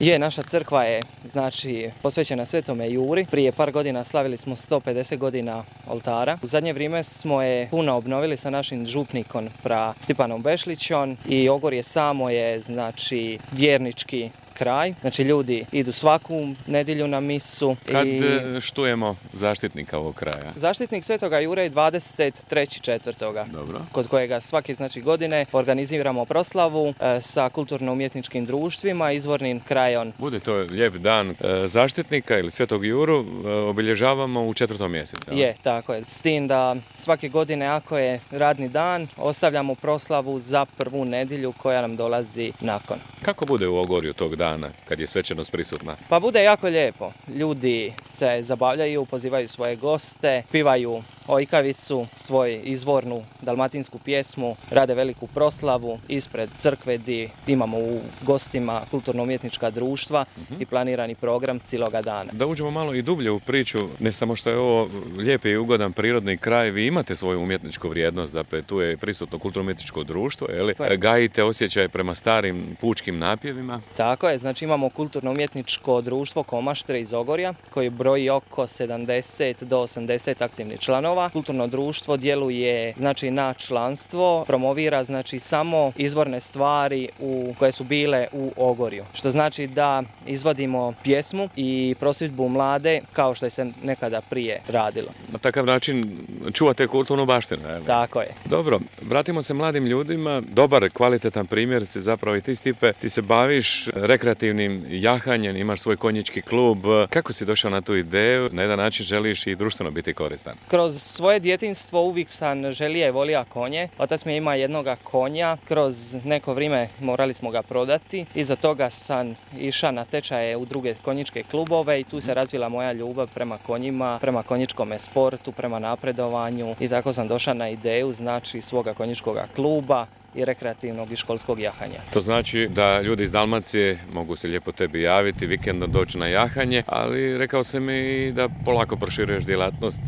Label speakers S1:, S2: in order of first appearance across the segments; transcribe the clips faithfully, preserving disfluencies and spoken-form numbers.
S1: Je, naša crkva je znači posvećena Svetome Juri. Prije par godina slavili smo sto pedeset godina oltara. U zadnje vrijeme smo je puno obnovili sa našim župnikom fra Stipanom Bešlićom i Ogorje samo je znači vjernički kraj. Znači ljudi idu svaku nedjelju na misu.
S2: Kad
S1: i...
S2: štujemo zaštitnika ovog kraja?
S1: Zaštitnik Svetoga Jure je dvadeset trećeg četvrtog
S2: Dobro.
S1: Kod kojega svake znači godine organiziramo proslavu e, sa kulturno-umjetničkim društvima, izvornim krajom.
S2: Bude to lijep dan e, zaštitnika ili Svetog Juru, e, obilježavamo u četvrtom mjesecu.
S1: Je, tako je. S tim da svake godine ako je radni dan, ostavljamo proslavu za prvu nedjelju koja nam dolazi nakon.
S2: Kako bude u Ogorju tog dana kad je svečanost prisutna?
S1: Pa bude jako lijepo. Ljudi se zabavljaju, pozivaju svoje goste, pivaju ojkavicu, svoju izvornu dalmatinsku pjesmu, rade veliku proslavu ispred crkve gdje imamo u gostima kulturno-umjetnička društva uh-huh. i planirani program cijeloga dana. Da
S2: uđemo malo i dublje u priču, ne samo što je ovo lijepi i ugodan prirodni kraj, vi imate svoju umjetničku vrijednost, dakle tu je prisutno kulturno-umjetničko društvo, je li? Gajite osjećaj prema starim pučkim napjevima.
S1: Tako je, znači imamo kulturno-umjetničko društvo Komaštre iz Ogorja koji broji oko sedamdeset do osamdeset aktivnih članova. Kulturno društvo djeluje znači na članstvo, promovira znači samo izvorne stvari u, koje su bile u Ogorju. Što znači da izvodimo pjesmu i prosvjedbu mlade kao što je se nekada prije radilo.
S2: Na takav način čuvate kulturnu baštinu, je li?
S1: Tako je.
S2: Dobro, vratimo se mladim ljudima. Dobar, kvalitetan primjer si zapravo i ti, Stipe. Ti se baviš rekreativnim jahanjem, imaš svoj konjički klub. Kako si došao na tu ideju? Na jedan način želiš i društveno biti koristan.
S1: Kroz svoje djetinjstvo uvijek sam želio i volio konje. Otac mi ima jednoga konja. Kroz neko vrijeme morali smo ga prodati. Iza toga sam išao na tečaje u druge konjičke klubove i tu se razvila moja ljubav prema konjima, prema konjičkom sportu, prema napredovanju i tako sam došao na ideju znači svoga konjičkog kluba i rekreativnog i školskog jahanja.
S2: To znači da ljudi iz Dalmacije mogu se lijepo tebi javiti, vikendom doći na jahanje, ali rekao sam mi da polako proširuješ djelatnost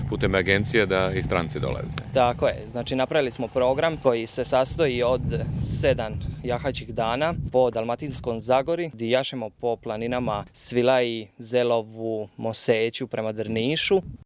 S2: putem agencije da i stranci dolaze.
S1: Tako je, znači napravili smo program koji se sastoji od sedam jahačih dana po Dalmatinskom Zagori, gdje jašemo po planinama Svilaji, Zelovu, Moseću prema Drnišu.